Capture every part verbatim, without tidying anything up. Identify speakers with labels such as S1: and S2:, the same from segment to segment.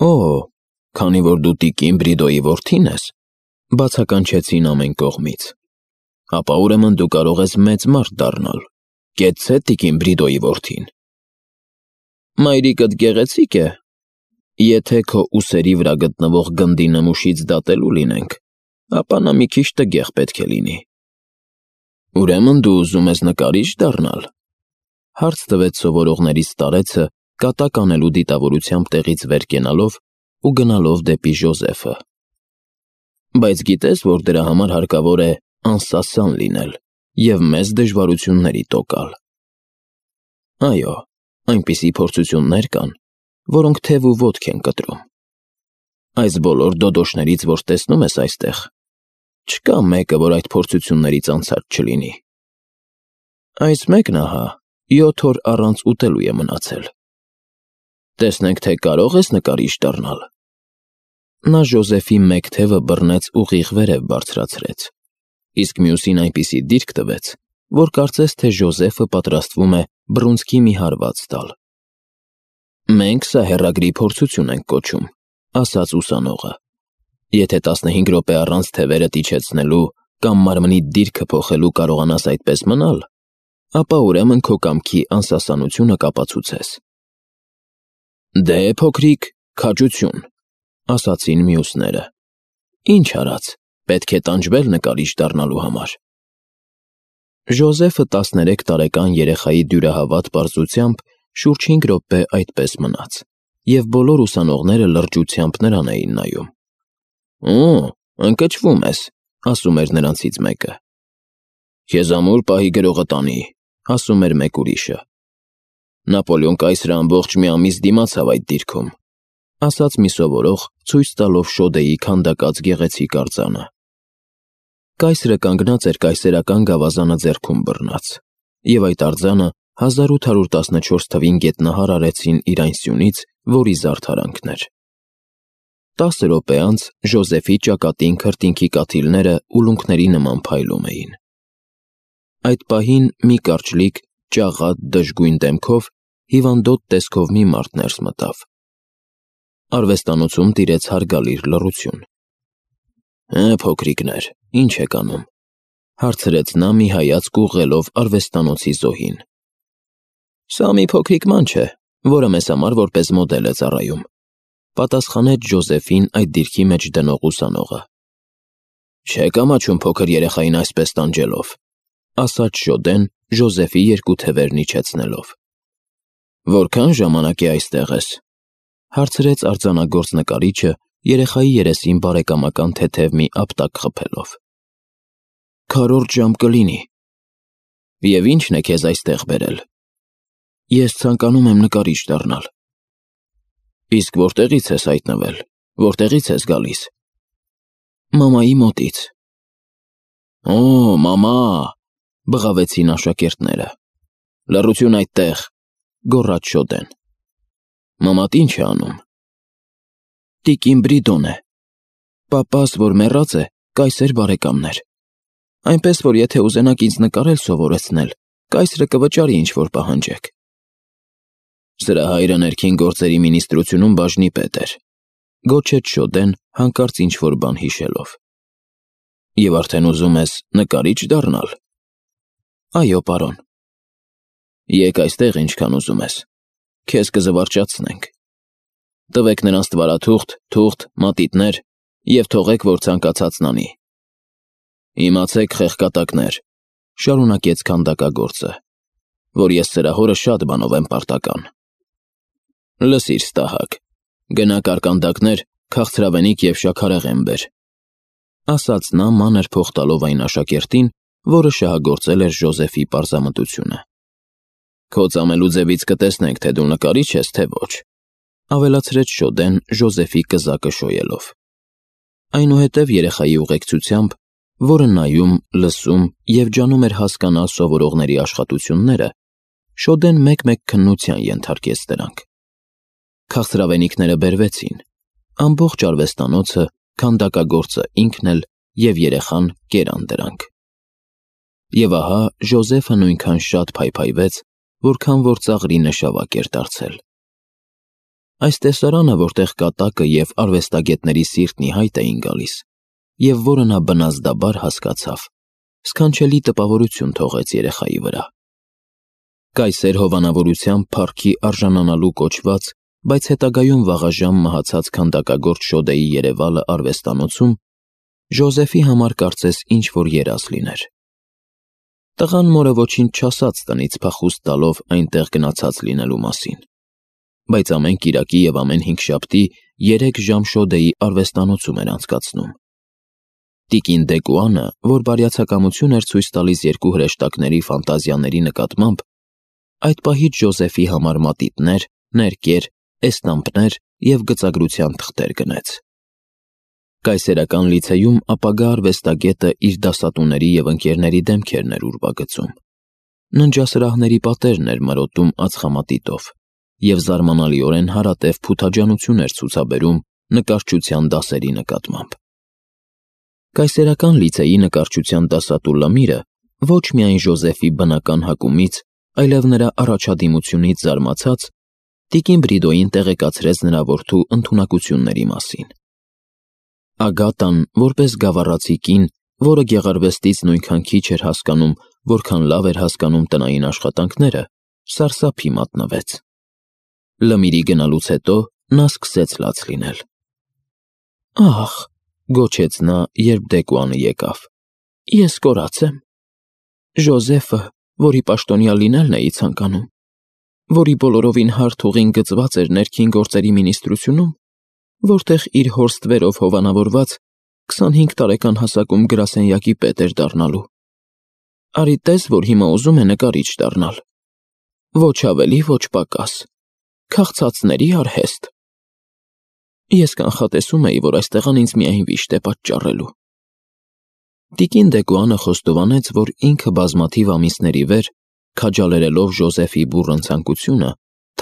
S1: Օ, քանի որ դու տիկին Բրիդոյի որդին ես, բացականչեցին ամեն կողմից, ապա ուրեմն դու կարող ես մեծ մարդ դառնալ, կեցցե տիկին Բրիդոյի որդին։ Մայրիկդ գեղեցիկ է, եթե քո ուսերի վրա գտնվող գնդի նմուշից դատելու լինենք, ապա նա մի քիչ տգեղ պետք է լինի։ Ուրեմն դու ուզում ես նկարիչ դառնալ, հարց տվեց սովորողներից տարեցը, կատակ անելու դիտավորությամբ տեղից վեր կենալով ու գնալով դեպի Ժոզեֆը։ Բայց գիտես, որ դրա համար հարկավոր է անսասան լինել և մեծ դժվարությունների տոկալ։ Այո, այնպիսի փորձություններ կան, որոնք թև ու ոտք են կտրում։ Այս բոլոր դոդոշներից, որ տեսնում ես այստեղ, չկա մեկը, որ այդ փորձություններից անցած չլինի։ Այս մեկն ահա յոթ օր առանց ուտելու է մնացել։ Տեսնենք, թե կարող ես նկարիչ դառնալ։ Նա Ժոզեֆի մեկ թևը բռնեց ուղիղ վերև բարձրացրեց, իսկ մյուսին այնպիսի դիրք տվեց, որ կարծես թե Ժոզեֆը պատրաստվում է բռունցքի մի հարված տալ։ Մենք սա հեռագրի փորձություն ենք կոչում, ասաց ուսանողը։ Եթե տասնհինգ րոպե առանց թևերդ իջեցնելու կամ մարմնի դիրքը փոխելու կարողանաս այդպես մնալ, ապա ուրեմն քո կամքի անսասանությունը կապացուցես։ Դե, փոքրիկ, քաջություն, ասացին մյուսները։ Ինչ արած, պետք է տանջվել նկարիչ դառնալու համար։ Ժոզեֆը տասներեք տարեկան երեխայի դյուրահավատ պարզությամբ շուրջ հինգ րոպե այդպես մնաց, և բոլոր ուսանողները լրջությամբ նրան էին նայում։ Օ, ընկճվում ես, ասում էր նրանցից մեկը։ Քեզ ամուր պահի գրողը տանի, ասում էր մեկ ուրիշը։ Նապոլեոն կայսրը ամբողջ մի ամիս դիմացավ այդ դիրքում, ասաց մի սովորող, ցույց տալով շոդեի քանդակած գեղեցիկ արձանը։ Կայսրը կանգնած էր կայսերական գավազանը ձեռքում բռնած, և այդ արձանը հազար ութ հարյուր տասնչորս թվին գետնահար արեցին իր այն սյունից, որի զարդարանքն էր։ Տասը րոպե անց Ժոզեֆի ճակատին քրտինքի կաթիլները ուլունքների նման փայլում էին։ Այդ պահին մի կարճլիկ, ճաղատ, դժգույն դեմքով, հիվանդոտ տեսքով մի մարդ ներս մտավ։ Արվեստանոցում տիրեց հարգալից լռություն։ Հը, փոքրիկներ, ինչ եք անում, հարցրեց նա մի հայացք ուղղելով արվեստանոցի զոհին։ Սա մի փոքրիկ ման չէ, որը մեզ համար որպես մոդել է ծառայում, պատասխանեց Ժոզեֆին այդ դիրքի մեջ դնող ուսանողը։ Չեք ամաչում փոքր երեխային այսպես տանջելով, ասաց Շոդեն Ժոզեֆի երկու թևերն իջեցնելով։ Որքան ժամանակ է այստեղ ես, հարցրեց արձանագործ նկարիչը երեխայի երեսին բարեկամական թեթև մի ապտակ խփելով։ Քառորդ ժամ կլինի։ Եվ ի՞նչն է քեզ այստեղ բերել։ Ես ցանկանում եմ նկարիչ դառնալ։ Իսկ որտեղից ես հայտնվել, որտեղից ես գալիս։ Մամայի մոտից։ Օ, մամա, բղավեցին աշակերտները։ Լռություն այդտեղ, գոռաց Շոդեն։ Մամատ ինչ է անում։ Տիկին Բրիդոն է։ Պապաս, որ մեռած է, կայսեր բարեկամն էր։ Այնպես որ եթե ուզենաք ինձ նկարել սովորեցնել, կայսրը կվճարի ինչ-որ պահանջեք։ Սրա հայրը ներքին գործերի մինիստրությունում բաժնի պետ էր, գոչեց Շոդեն հանկարծ ինչ-որ բան հիշելով։ Եվ արդեն ուզում ես նկարիչ դառնալ։ Այո, պարոն։ Եկ այստեղ ինչքան ուզում ես, քեզ կզվարճացնենք։ Տվեք նրանց ստվարաթուղթ, թուղթ, մատիտներ և թողեք, որ ցանկացածն անի։ Իմացեք, խեղկատակներ, շարունակեց քանդակագործը, որ ես սրա հորը շատ բանով եմ պարտական։ Լսիր, ստահակ, գնա կարկանդակներ, քաղցրավենիք և շաքարեղեն բեր, ասաց նա մանր փող տալով այն աշակերտին, որը շահագործել էր Ժոզեֆի պարզամտությունը։ Քո ծամելու ձևից կտեսնենք, թե դու նկարիչ ես, թե ոչ, ավելացրեց Շոդեն Ժոզեֆի կզակը շոյելով։ Այնուհետև երեխայի ուղեկցությամբ, որը նայում, լսում և ջանում էր հասկանալ սովորողների աշխատությունները, Շոդեն մեկ-մեկ քննության ենթարկեց դրանք։ Քաղցրավենիքները բերվեցին, ամբողջ արվեստանոցը, քանդակագործը ինքն էլ և երեխան կերան դրանք։ Եվ ահա Ժոզեֆը նույնքան շատ փայփայվեց, որքան որ ծաղրի նշավակ էր դարձել։ Այս տեսարանը, որտեղ կատակը և արվեստագետների սիրտն ի հայտ էին գալիս, և որը նա բնազդաբար հասկացավ, սքանչելի տպավորություն թողեց երեխայի վրա։ Կայսեր հովանավորությամբ փառքի արժանանալու կոչված, բայց հետագայում վաղաժամ մահացած քանդակագործ Շոդեի երևալը արվեստանոցում Ժոզեֆի համար կարծես ինչ-որ երազ լիներ։ Տղան մորը ոչինչ չասաց տնից փախուստ տալով այնտեղ գնացած լինելու մասին, բայց ամեն կիրակի և ամեն հինգշաբթի երեք ժամ Շոդեի արվեստանոցում էր անցկացնում։ Տիկին Դեկուանը, որ բարյացակամություն էր ցույց տալիս երկու հրեշտակների ֆանտազիաների նկատմամբ, այդ պահից Ժոզեֆի համար մատիտներ, ներկեր, էստամպներ և գծագրության թղթեր գնեց։ Կայսերական լիցեյում ապագա արվեստագետը իր դասատուների և ընկերների դեմքերն էր ուրվագծում, ննջասրահների պատերն էր մրոտում ածխամատիտով և զարմանալիորեն հարատև փութաջանություն էր ցուցաբերում նկարչության դասերի նկատմամբ։ Կայսերական լիցեյի նկարչության դասատու Լամիրը ոչ միայն Ժոզեֆի բնական հակումից, այլև նրա առաջադիմությունից զարմացած, տիկին Բրիդոյին տեղեկացրեց նրա որդու ընդունակությունների մասին։ Ագատան, որպես գավառացի կին, որը գեղարվեստից նույնքան քիչ էր հասկանում, որքան լավ էր հասկանում տնային աշխատանքները, սարսափի մատնվեց։ Լմիրի գնալուց հետո նա սկսեց լաց լինել։ «Ախ», գոչեց նա, երբ Դեկուանը եկավ, «ես կորած եմ։ Ժոզեֆը, որի պաշտոնյա լինելն էի ցանկանում, որի բոլորովին հարթ ուղին գծված էր ներքին գործերի մինիստրությունում, որտեղ իր հոր ստվերով հովանավորված քսանհինգ տարեկան հասակում գրասենյակի պետ էր դառնալու։ Արի տես, որ հիմա ուզում է նկարիչ դառնալ։ Ոչ ավելի, ոչ պակաս։ Քաղցածների արհեստ։ Ես կանխատեսում էի, որ այս տղան ինձ միայն վիշտ է պատճառելու»։ Տիկին Դեկուանը խոստովանեց, որ ինքը բազմաթիվ ամիսների վեր, քաջալերելով Ժոզեֆի բուռն ցանկությունը,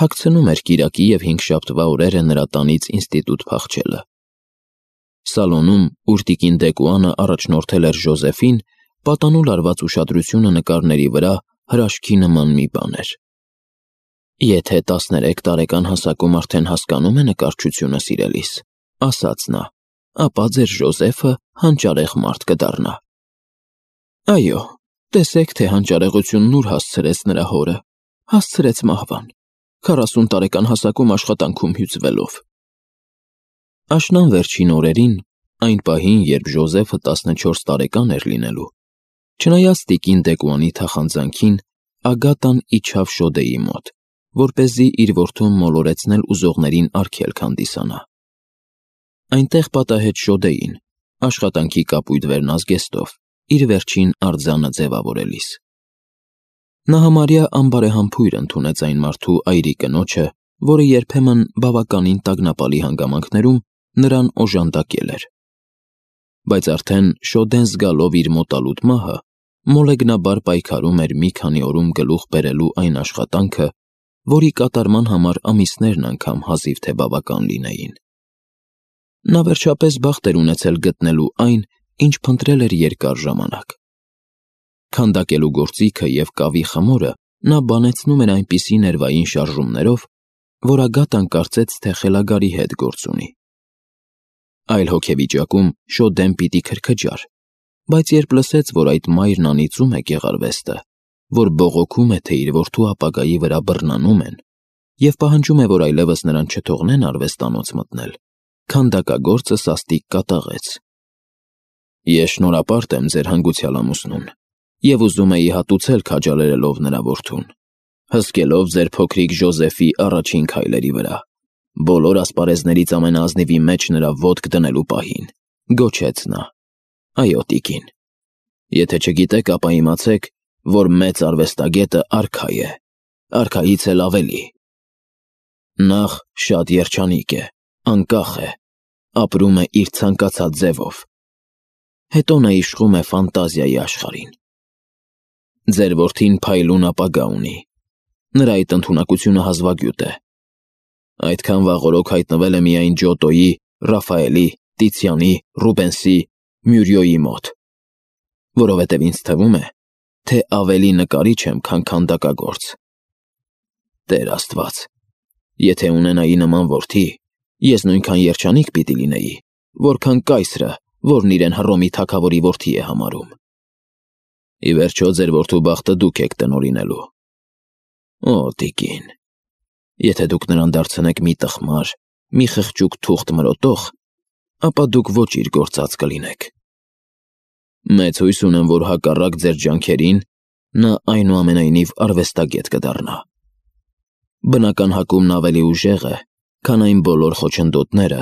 S1: թաքցնում էր կիրակի և հինգշաբթվա օրերը նրա տանից ինստիտուտ փախչելը։ Սալոնում, ուր տիկին Դեկուանը առաջնորդել էր Ժոզեֆին, պատանու լարված ուշադրությունը նկարների վրա հրաշքի նման մի բան էր։ «Եթե տասներեք տարեկան հասակում արդեն հասկանում է նկարչությունը, սիրելիս», ասաց նա, «ապա ձեր Ժոզեֆը հանճարեղ մարդ կդառնա»։ Այո, տեսեք, թե հանճարեղությունն ուր հասցրեց նրա հորը, հասցրեց մահվան, քառասուն տարեկան հասակում աշխատանքում հյուծվելով։ Աշնան վերջին օրերին, այն պահին, երբ Ժոզեֆը տասնչորս տարեկան էր լինելու, չնայած տիկին Դեկուանի թախանձանքին, Ագատան իջավ Շոդեի մոտ, որպեսզի իր որդուն մոլորեցնել ուզողներին արգելք հանդիսանա։ Այնտեղ պատահեց Շոդեին, աշխատանքի կապույտ վերնազգեստով, իր վերջին արձանը ձևավորելիս։ Նա համարյա անբարեհամբույր ընդունեց այն մարդու այրի կնոջը, որը երբեմն բավականին տագնապալի հանգամանքներում նրան օժանդակել էր։ Բայց արդեն Շոդեն զգալով իր մոտալուտ մահը, մոլեգնաբար պայքարում էր մի քանի օրում գլուխ բերելու այն աշխատանքը, որի կատարման համար ամիսներն անգամ հազիվ թե բավական լինեին։ Նա վերջապես բախտ էր ունեցել գտնելու այն, ինչ փնտրել էր երկար ժամանակ։ Քանդակելու գործիքը և կավի խմորը նա բանեցնում էր այնպիսի ներվային շարժումներով, որ Ագատան կարծեց, թե խելագարի հետ գործ ունի։ Այլ հոգեվիճակում Շոդեն պիտի քրքջար, բայց երբ լսեց, որ այդ մայրն անիծում է գեղարվեստը, որ բողոքում է, թե իր որդու ապագայի վրա բռնանում են, և պահանջում է, որ այլևս նրան չթողնեն արվեստանոց մտնել, քանդակագործը սաստիկ կատաղեց. «Ես շնորհապարտ եմ ձեր հանգուցյալ ամուսնուն և ուզում էի հատուցել քաջալերելով նրա որդուն, հսկելով ձեր փոքրիկ Ժոզեֆի առաջին քայլերի վրա, բոլոր ասպարեզներից ամենաազնիվի մեջ նրա ոտք դնելու պահին», գոչեց նա։ «Այո, տիկին, եթե չգիտեք, ապա իմացեք, որ մեծ արվեստագետը արքա է, արքայից էլ ավելի։ Նախ շատ երջանիկ է, անկախ է, ապրում է իր ցանկացած ձևով, հետո նա իշխում է ֆանտազիայի աշխարհին։ Ձեր որդին փայլուն ապագա ունի, նրա այդ ընդունակությունը հազվագյուտ է։ Այդքան վաղօրոք հայտնվել է միայն Ջոտոյի, Ռաֆայելի, Տիցիանի, Ռուբենսի, Մյուրիոյի մոտ, որովհետև ինձ թվում է, թե ավելի նկարիչ եմ, քան քանդակագործ։ Տեր Աստված, Եթե ունենայի նման որդի, ես նույնքան երջանիկ պիտի լինեի, որքան կայսրը, որն իրեն Հռոմի թագավորի որդի է համարում։ Ի վերջո ձեր որդու բախտը դուք եք տնօրինելու։ Օ, տիկին, եթե դուք նրան դարձնեք մի տխմար, մի խղճուկ թուղթ մրոտող, ապա դուք ոչ իր գործած կլինեք։ Մեծ հույս ունեմ, որ հակառակ ձեր ջանքերին, նա այնուամենայնիվ արվեստագետ կդառնա։ Բնական հակումն ավելի ուժեղ է, քան այն բոլոր խոչընդոտները,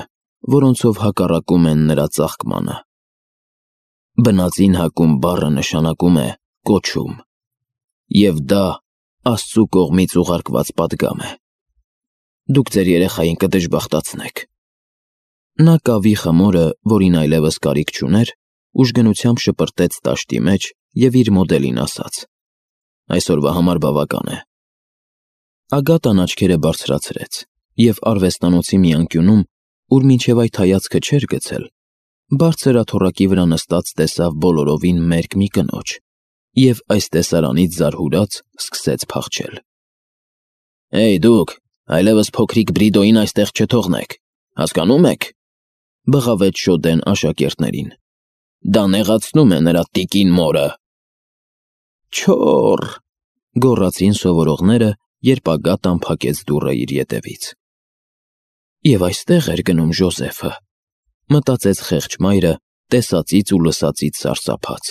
S1: որոնցով հակառակում են նրա ծաղկմանը։ Բնածին հակում բառը նշանակում է կոչում, և դա Աստծու կողմից ուղարկված պատգամ է։ Դուք ձեր երեխային կդժբախտացնեք։ Նա կավի խմորը, որին այլևս կարիք չուներ, ուժգնությամբ շպրտեց տաշտի մեջ և իր մոդելին ասաց. այսօրվա համար բավական է։ Ագատան աչքերը բարձրացրեց և արվեստանոցի մի անկյունում, ուր մինչև այդ հայացքը չէր գցել, բարձր աթոռակի վրա նստած տեսավ բոլորովին մերկ մի կնոջ և այս տեսարանից զարհուրած սկսեց փախչել։ Էյ դուք, այլևս փոքրիկ Բրիդոյին այստեղ չթողնեք, հասկանո՞ւմ եք, բղավեց շոդեն աշակերտներին։ Դա նեղացնում է նրա տիկին մորը։ Չոռ, գոռացին սովորողները, երբ Ագատան փակեց դուռը իր ետևից։ Եվ այստեղ էր գնում Ժոզեֆը, մտածեց խեղճ մայրը, տեսածից ու լսածից սարսափած։